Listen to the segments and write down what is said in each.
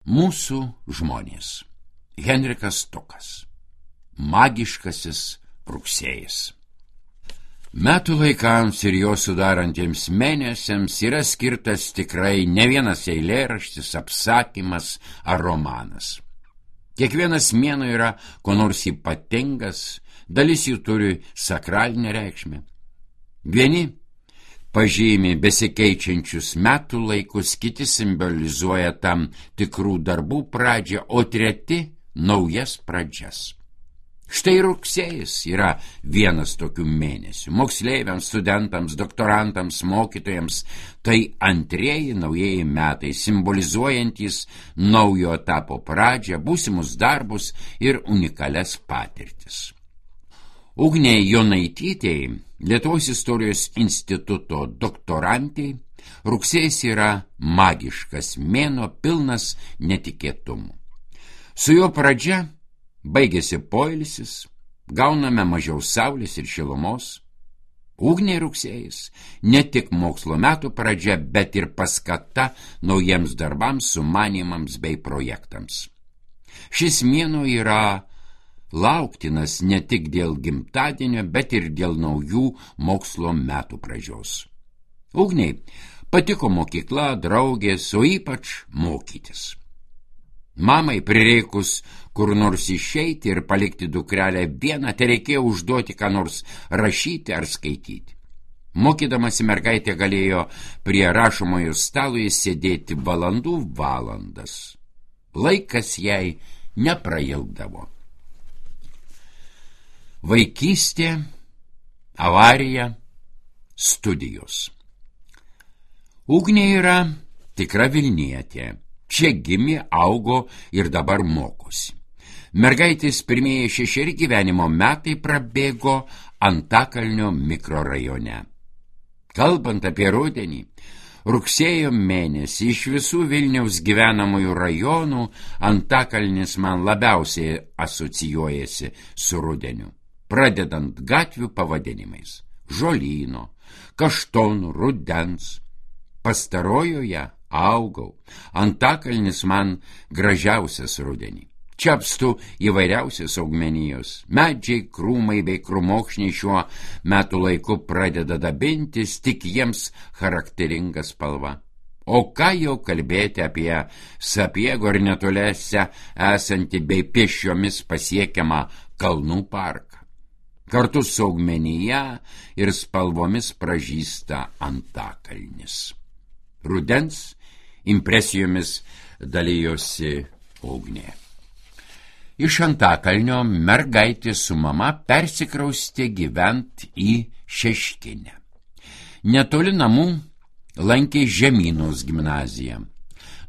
Mūsų žmonės. Henrikas Tukas. Magiškasis rugsėjis. Metų laikams ir jo sudarantiems mėnesiams yra skirtas tikrai ne vienas eilėraštis, apsakymas ar romanas. Kiekvienas mėnuo yra ko nors ypatingas, dalis jų turi sakralinę reikšmę. Vieni pažymi besikeičiančius metų laikus, kiti simbolizuoja tam tikrų darbų pradžią, o treti naujas pradžias. Štai rugsėjis yra vienas tokių mėnesių. Moksleiviams, studentams, doktorantams, mokytojams tai antrieji naujieji metai, simbolizuojantys naujo etapo pradžią, būsimus darbus ir unikalias patirtis. Ugnei Jonaitytei, Lietuvos istorijos instituto doktorantei, rugsėjis yra magiškas mėnuo, pilnas netikėtumų. Su jo pradžia baigėsi poilsis, gauname mažiau saulės ir šilumos. Ugniai rugsėjis ne tik mokslo metų pradžia, bet ir paskata naujiems darbams, sumanymams bei projektams. Šis mėnuo yra lauktinas ne tik dėl gimtadienio, bet ir dėl naujų mokslo metų pradžios. Ugniai patiko mokykla, draugės, o ypač mokytis. Mamai prireikus kur nors išeiti ir palikti dukrelę vieną, tereikėjo užduoti ką nors rašyti ar skaityti. Mokydamasi mergaitė galėjo prie rašomojo stalo sėdėti valandų valandas. Laikas jai neprailgdavo. Vaikystė, avarija, studijos. Ugnė yra tikra Vilnietė. Čia gimė, augo ir dabar mokosi. Mergaitės pirmieji 6 gyvenimo metai prabėgo Antakalnio mikrorajone. Kalbant apie rudenį, rugsėjo mėnesį iš visų Vilniaus gyvenamųjų rajonų Antakalnis man labiausiai asocijuojasi su rudeniu, pradedant gatvių pavadinimais: Žolyno, Kaštonų, Rudens. Pastarojoje augau. Antakalnis man gražiausias rudenį. Čia apstu įvairiausios augmenijos. Medžiai, krūmai bei krūmokšniai šiuo metų laiku pradeda dabintis, tik jiems charakteringa spalva. O ką jau kalbėti apie Sapiego ir netoliese esantį bei pėsčiomis pasiekiamą kalnų parką. Kartu su augmenija ir spalvomis pražysta Antakalnis. Rudens impresijomis dalijosi Ugnė. Iš Antakalnio mergaitė su mama persikraustė gyvent į Šeškinę. Netoli namų lankė Žemynos gimnaziją.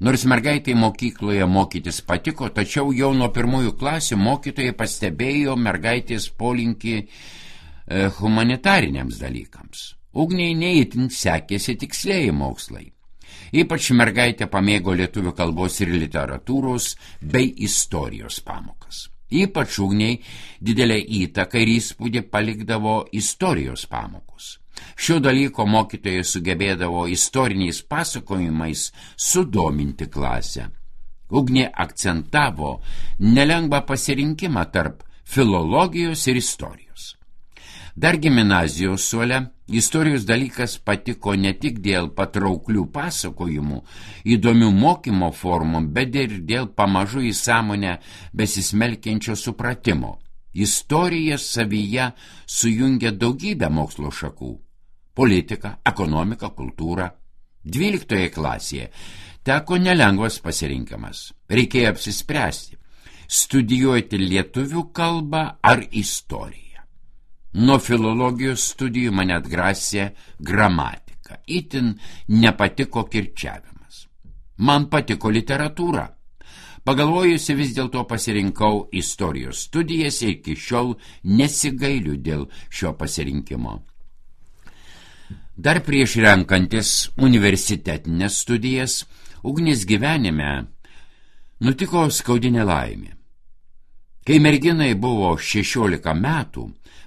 Nors mergaitai mokykloje mokytis patiko, tačiau jau nuo pirmųjų klasių mokytojai pastebėjo mergaitės polinkį humanitariniams dalykams. Ugniai neįtin sekėsi tikslieji mokslai. Ypač mergaitė pamėgo lietuvių kalbos ir literatūros bei istorijos pamokas. Ypač Ugniai didelę įtaką ir įspūdį palikdavo istorijos pamokos. Šio dalyko mokytojai sugebėdavo istoriniais pasakojimais sudominti klasę. Ugnė akcentavo nelengvą pasirinkimą tarp filologijos ir istorijos. Dar gimnazijos suole istorijos dalykas patiko ne tik dėl patrauklių pasakojimų, įdomių mokymo formų, bet ir dėl pamažu į sąmonę besismelkiančio supratimo. Istorija savyje sujungia daugybę mokslo šakų – politiką, ekonomiką, kultūrą. 12 klasėje teko nelengvas pasirinkimas. Reikėjo apsispręsti – studijuoti lietuvių kalbą ar istoriją. Nuo filologijos studijų mane atgrasė gramatika. Itin nepatiko kirčiavimas. Man patiko literatūra. Pagalvojusi vis dėlto pasirinkau istorijos studijas ir iki šiol nesigailiu dėl šio pasirinkimo. Dar prieš renkantis universitetinės studijas, Ugnės gyvenime nutiko skaudinė laimė. Kai merginai buvo 16 metų,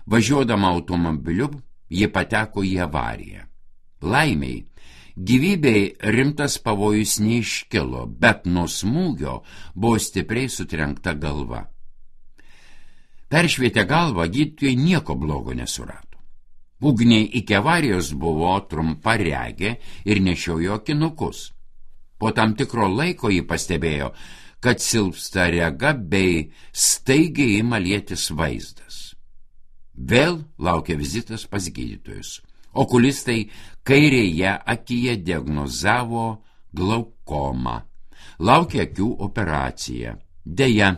važiuodama automobiliu, ji pateko į avariją. Laimiai, Gyvybei rimtas pavojus neiškilo, bet nuo smūgio buvo stipriai sutrenkta galva. Peršvietę galvą gydytojai nieko blogo nesurado. Ugniai iki avarijos buvo trumparegė ir nešiojo akinukus. Po tam tikro laiko ji pastebėjo, kad silpsta rega bei staigiai ima lietis vaizdas. Vėl laukia vizitas pas gydytojus. Okulistai kairėje akyje diagnozavo glaukomą. Laukia akių operacija. Deja,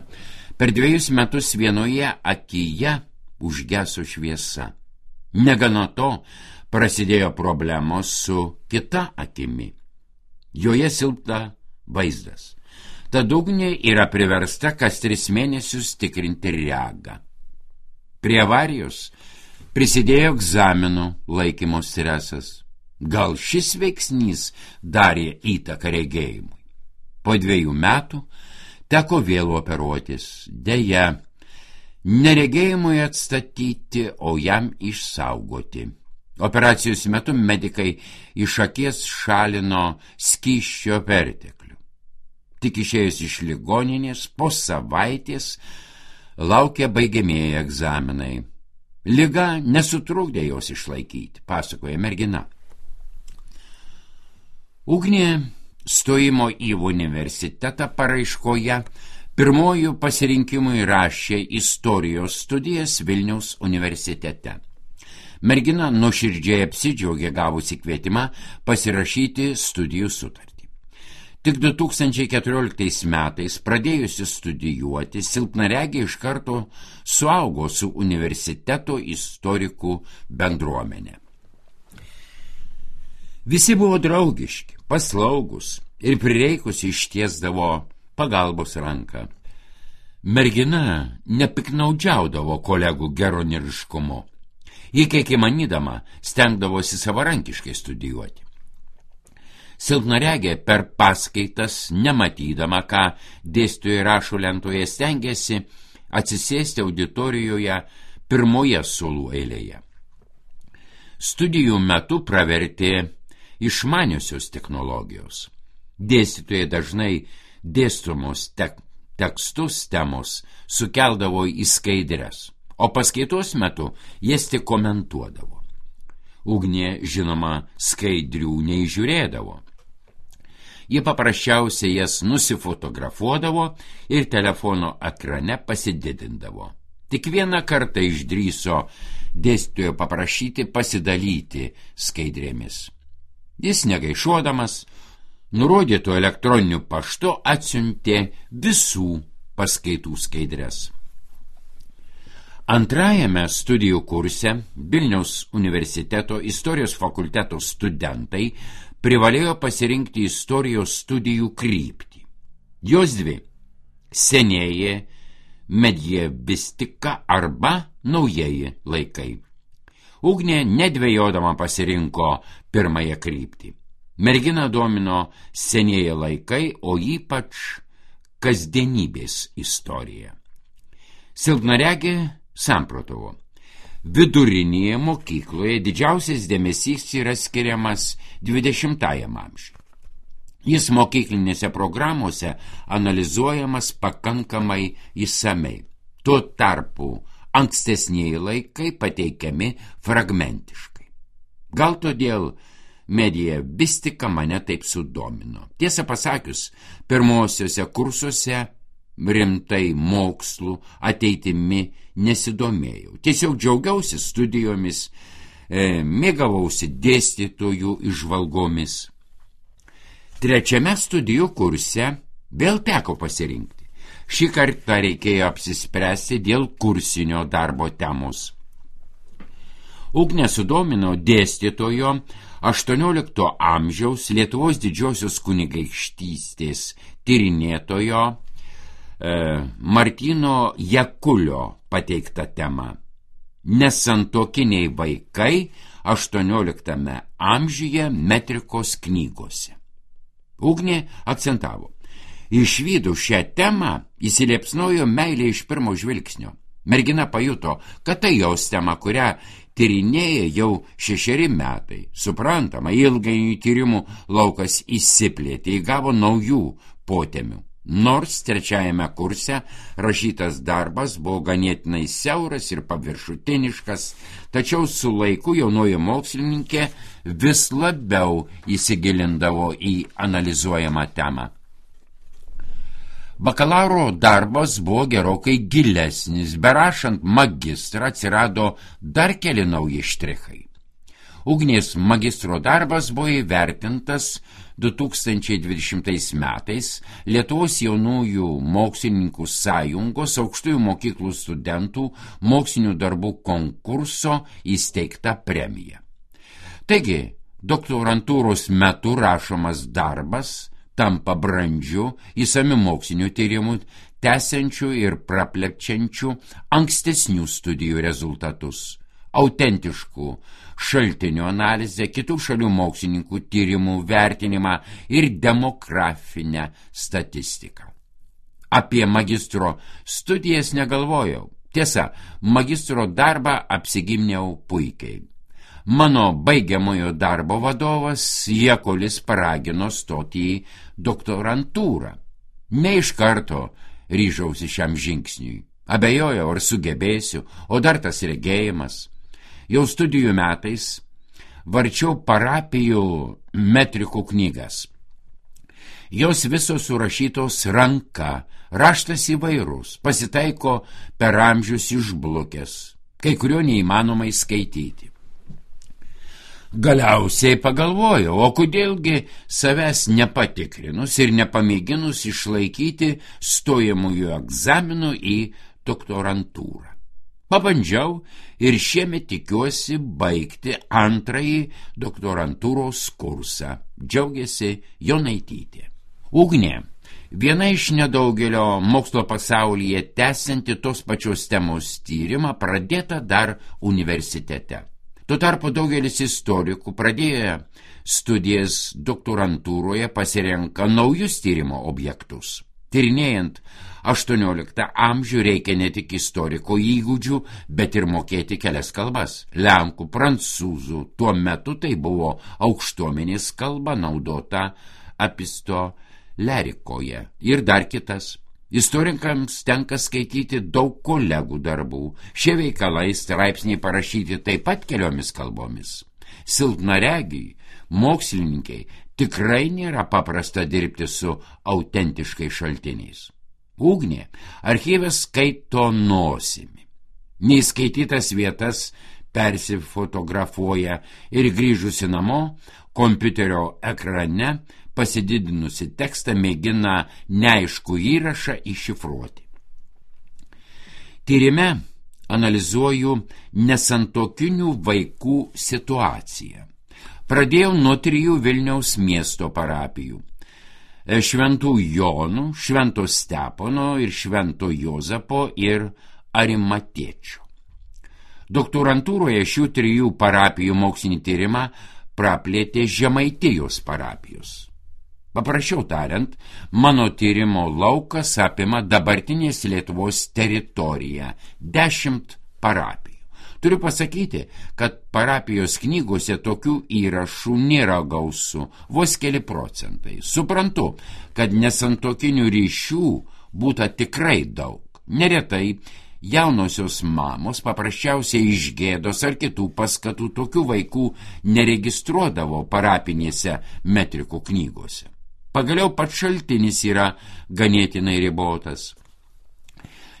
per 2 metus vienoje akyje užgeso šviesa. Negana to, prasidėjo problemos su kita akimi. Joje silpna vaizdas. Tad Ugnė yra priversta kas 3 mėnesius tikrinti regą. Prie avarijos prisidėjo egzaminų laikymo stresas. Gal šis veiksnys darė įtaką regėjimui. Po 2 metų teko vėl operuotis. Deja, neregėjimui atstatyti, o jam išsaugoti. Operacijos metu medikai iš akies šalino skysčio perteklių. Tik išėjus iš ligoninės po savaitės laukia baigiamieji egzaminai. Liga nesutrukdė jos išlaikyti, pasakoja mergina. Ugnė stojimo į universitetą paraiškoje pirmojų pasirinkimui rašė istorijos studijas Vilniaus universitete. Mergina nuoširdžiai apsidžiaugė gavusi kvietimą pasirašyti studijų sutartį. Tik 2014 metais pradėjusi studijuoti, silpnaregė iš karto suaugo su universiteto istorikų bendruomenė. Visi buvo draugiški, paslaugus ir prireikus ištiesdavo pagalbos ranką. Mergina nepiknaudžiaudavo kolegų geroniriškumu. Ji kiek įmanydama stengdavosi savarankiškai studijuoti. Silpnaregė per paskaitas, nematydama, ką dėstytojai rašo lentoje, stengėsi atsisėsti auditorijoje pirmoje suolų eilėje. Studijų metu pravertė išmaniosios technologijos. Dėstytojai dažnai dėstomos tekstus temos sukeldavo į skaidres, o paskaitos metu jas tik komentuodavo. Ugnė, žinoma, skaidrių neįžiūrėdavo. Ji paprasčiausiai jas nusifotografuodavo ir telefono ekrane pasididindavo. Tik vieną kartą išdrįso dėstytojo paprašyti pasidalyti skaidrėmis. Jis negaišuodamas, nurodytų elektroniniu paštu atsiuntė visų paskaitų skaidres. Antrajame studijų kurse Vilniaus universiteto istorijos fakulteto studentai privalėjo pasirinkti istorijos studijų kryptį. Jos 2 – senieji medievistika arba naujieji laikai. Ugnė nedvejodama pasirinko pirmąją kryptį. Mergina domino senieji laikai, o ypač kasdienybės istorija. Silpnaregė samprotavo. Vidurinėje mokykloje didžiausias dėmesys yra skiriamas 20-ajam amžiui. Jis mokyklinėse programuose analizuojamas pakankamai išsamei. Tuo tarpu ankstesnieji laikai pateikiami fragmentiškai. Gal todėl medievistika mane taip sudomino. Tiesą pasakius, pirmosiuose kursuose rimtai mokslų ateitimi nesidomėjau. Tiesiog džiaugiausi studijomis, mėgavausi dėstytojų įžvalgomis. Trečiame studijų kurse vėl teko pasirinkti. Šį kartą reikėjo apsispręsti dėl kursinio darbo temos. Ugnė sudomino dėstytojo 18 amžiaus Lietuvos didžiosios kunigaikštystės tyrinėtojo Martyno Jakulio pateikta tema – nesantuokiniai vaikai 18 amžiuje metrikos knygose. Ugnė akcentavo. Išvydus šią temą įsiliepsnojo meilė iš pirmo žvilgsnio. Mergina pajuto, kad tai jos tema, kurią tyrinėja jau 6 metai. Suprantama, ilgainiui tyrimų laukas išsiplėtė, įgavo naujų potemių. Nors 3 kurse rašytas darbas buvo ganėtinai siauras ir paviršutiniškas, tačiau su laiku jaunoji mokslininkė vis labiau įsigilindavo į analizuojamą temą. Bakalauro darbas buvo gerokai gilesnis, berašant magistrą atsirado dar keli nauji štrichai. Ugnės magistro darbas buvo įvertintas 2020 metais Lietuvos jaunųjų mokslininkų sąjungos aukštųjų mokyklų studentų mokslinių darbų konkurso įsteigta premija. Taigi, doktorantūros metu rašomas darbas tampa brandžiu, įsamiu mokslinių tyrimų, tęsiančių ir praplepčiančių ankstesnių studijų rezultatus, autentiškų šaltinių analizę, kitų šalių mokslininkų tyrimų vertinimą ir demografinę statistiką. Apie magistro studijas negalvojau. Tiesa, magistro darbą apsigimniau puikiai. Mano baigiamojo darbo vadovas Jakolis paragino stoti į doktorantūrą. Ne iš karto ryžausi šiam žingsniui. Abejojau, ar sugebėsiu, o dar tas regėjimas. Jau studijų metais varčiau parapijų metrikų knygas. Jos visos surašytos ranka, raštas įvairus, pasitaiko per amžius išblukęs, kai kurio neįmanomai skaityti. Galiausiai pagalvojau, o kodėlgi savęs nepatikrinus ir nepamėginus išlaikyti stojamųjų egzaminų į doktorantūrą. Pabandžiau ir šiemet tikiuosi baigti 2 doktorantūros kursą, džiaugiasi Jonaitytė. Ugnė, viena iš nedaugelio mokslo pasaulyje tęsianti tos pačios temos tyrimą, pradėta dar universitete. Tuo tarpu daugelis istorikų pradėję studijas doktorantūroje pasirenka naujus tyrimo objektus. Tyrinėjant 18 amžių reikia ne tik istoriko įgūdžių, bet ir mokėti kelias kalbas. Lenkų, prancūzų, tuo metu tai buvo aukštuomenės kalba naudota epistolerikoje ir dar kitas. Istorikams tenka skaityti daug kolegų darbų. Šie veikalai straipsniai parašyti taip pat keliomis kalbomis. Silpnaregiai, mokslininkai tikrai nėra paprasta dirbti su autentiškai šaltiniais. Ugnė archyve skaito nosimi. Neįskaitytas vietas persifotografuoja ir grįžusi namo, kompiuterio ekrane pasididinusi tekstą mėgina neaiškų įrašą iššifruoti. Tyrime analizuoju nesantuokinių vaikų situaciją. Pradėjau nuo 3 Vilniaus miesto parapijų – Šventų Jonų, Švento Stepono ir Švento Jozapo ir Arimatėčio. Doktorantūroje šių 3 parapijų mokslinį tyrimą praplėtė Žemaitijos parapijos. Paprasčiau tariant, mano tyrimo laukas apima dabartinės Lietuvos teritoriją – 10 parapijų. Turiu pasakyti, kad parapijos knygose tokių įrašų nėra gausu, vos keli procentai. Suprantu, kad nesantuokinių ryšių būta tikrai daug. Neretai jaunosios mamos paprasčiausiai iš gėdos ar kitų paskatų tokių vaikų neregistruodavo parapinėse metrikų knygose. Pagaliau pats šaltinis yra ganėtinai ribotas.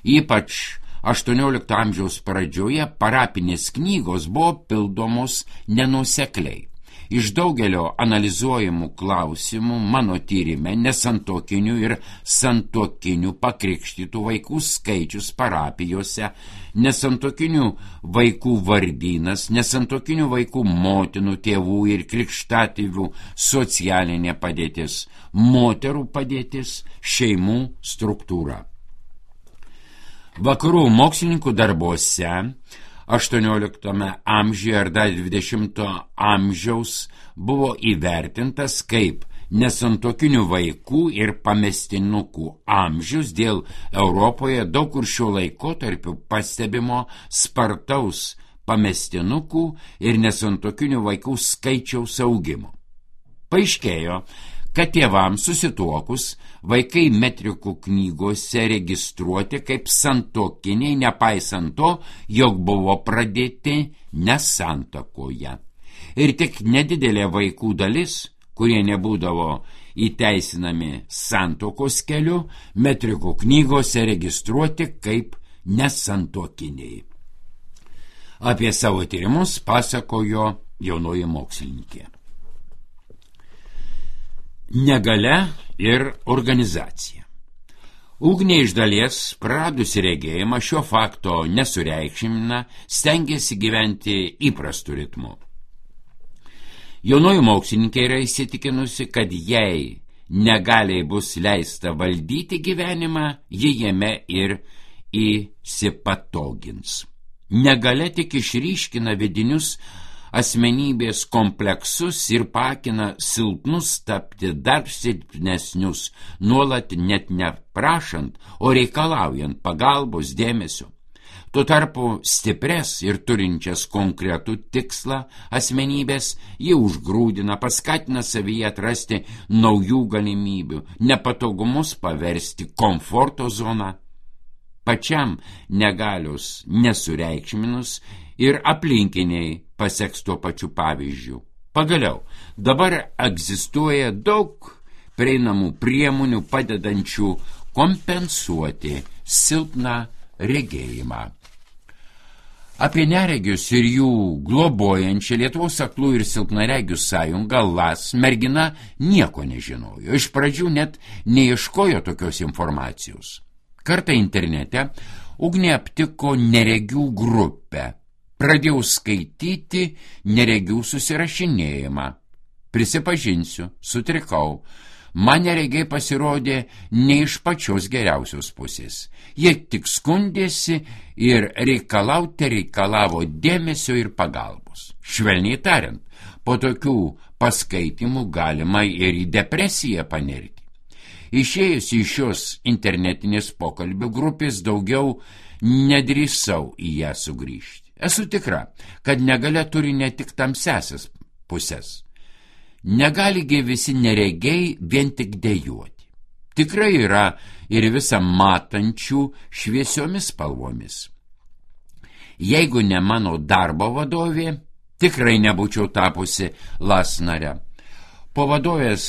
Ypač 18 amžiaus pradžioje parapinės knygos buvo pildomos nenuosekliai. Iš daugelio analizuojamų klausimų mano tyrime nesantuokinių ir santuokinių pakrikštytų vaikų skaičius parapijose, nesantuokinių vaikų vardynas, nesantuokinių vaikų motinų, tėvų ir krikštatėvių socialinė padėtis, moterų padėtis, šeimų struktūra. Vakarų mokslininkų darbuose 18 amžiuje ar dar 20 amžiaus buvo įvertintas kaip nesantuokinių vaikų ir pamestinukų amžius dėl Europoje daug kur šiuo laikotarpiu pastebimo spartaus pamestinukų ir nesantuokinių vaikų skaičiaus augimo. Paaiškėjo, kad tėvams susituokus vaikai metrikų knygose registruoti kaip santuokiniai, nepaisant to, jog buvo pradėti nesantuokoje. Ir tik nedidelė vaikų dalis, kurie nebūdavo įteisinami santuokos keliu, metrikų knygose registruoti kaip nesantuokiniai. Apie savo tyrimus pasakojo jaunoji mokslininkė. Negalia ir organizacija. Ugnė iš dalies, praradusi regėjimą, šio fakto nesureikšmina, stengiasi gyventi įprastu ritmu. Jaunoji mokslininkė yra įsitikinusi, kad jei negaliai bus leista valdyti gyvenimą, ji jame ir įsipatogins. Negalia tik išryškina vidinius asmenybės kompleksus ir pakina silpnus tapti dar silpnesnius, nuolat net neprašant, o reikalaujant pagalbos, dėmesio. Tuo tarpu stipres ir turinčias konkretų tikslą asmenybės jį užgrūdina, paskatina savyje atrasti naujų galimybių, nepatogumus paversti komforto zoną. Pačiam negalios nesureikšminus ir aplinkiniai paseks tuo pačiu pavyzdžiu. Pagaliau, dabar egzistuoja daug prieinamų priemonių padedančių kompensuoti silpną regėjimą. Apie neregius ir jų globojančią Lietuvos aklų ir silpnaregių sąjungą LAS mergina nieko nežinojo. Iš pradžių net neieškojo tokios informacijos. Kartą internete Ugnė aptiko neregių grupę. Pradėjau skaityti neregių susirašinėjimą. Prisipažinsiu, sutrikau. Man neregiai pasirodė ne iš pačios geriausios pusės. Jie tik skundėsi ir reikalavo dėmesio ir pagalbos. Švelniai tariant, po tokių paskaitimų galima ir į depresiją panerti. Išėjus iš šios internetinės pokalbių grupės daugiau nedrįsau į ją sugrįžti. Esu tikra, kad negalia turi ne tik tamsiasias pusės. Negaligi visi neregiai vien tik dejuoti. Tikrai yra ir visą matančių šviesiomis spalvomis. Jeigu ne mano darbo vadovė, tikrai nebūčiau tapusi LAS nare. Po vadovės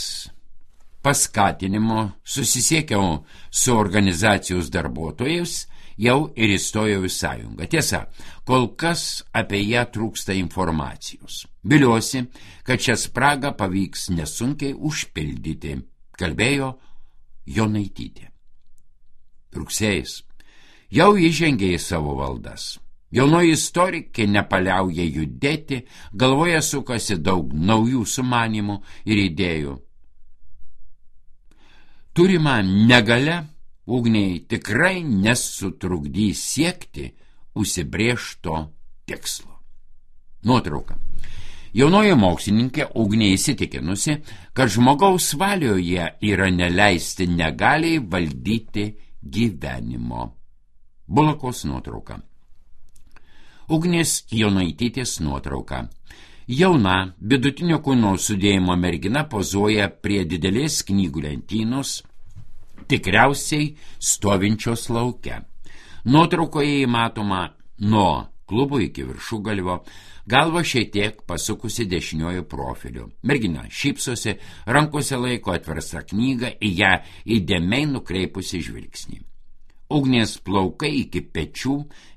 paskatinimo susisiekiau su organizacijos darbuotojais, jau ir įstojau į sąjungą. Tiesa, kol kas apie ją trūksta informacijos. Viliuosi, kad šią spragą pavyks nesunkiai užpildyti, kalbėjo Jonaitytė. Rugsėjis jau įžengė į savo valdas. Jaunoji istorikė nepaliauja judėti, galvoje sukasi daug naujų sumanimų ir idėjų. Turima negalia Ugniai tikrai nesutrukdys siekti užsibrėžto tikslo. Nuotrauka. Jaunoji mokslininkė Ugnė įsitikinusi, kad žmogaus valioje yra neleisti negaliai valdyti gyvenimo. Bulakos nuotrauka. Ugnės Jonaitytės nuotrauka. Jauna, vidutinio kūno sudėjimo mergina pozuoja prie didelės knygų lentynos, tikriausiai stovinčios lauke. Nuotraukoje įmatoma nuo klubo iki viršugalvio, galva šiek tiek pasukusi dešiniuoju profiliu. Mergina šypsosi, rankose laiko atverstą knygą, į ją įdėmiai nukreipusi žvilgsnį. Ugnės plaukai iki pečių,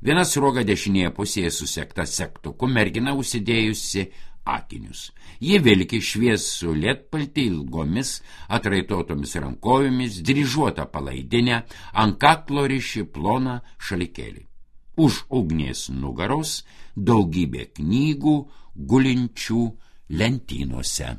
viena sruoga dešinėje pusėje susekta segtuku, mergina užsidėjusi akinius. Ji vilki šviesų lietpaltį ilgomis, atraitotomis rankovėmis, dryžuotą palaidinę, ant kaklo riši ploną šalikėlį. Už Ugnės nugaros daugybė knygų gulinčių lentynose.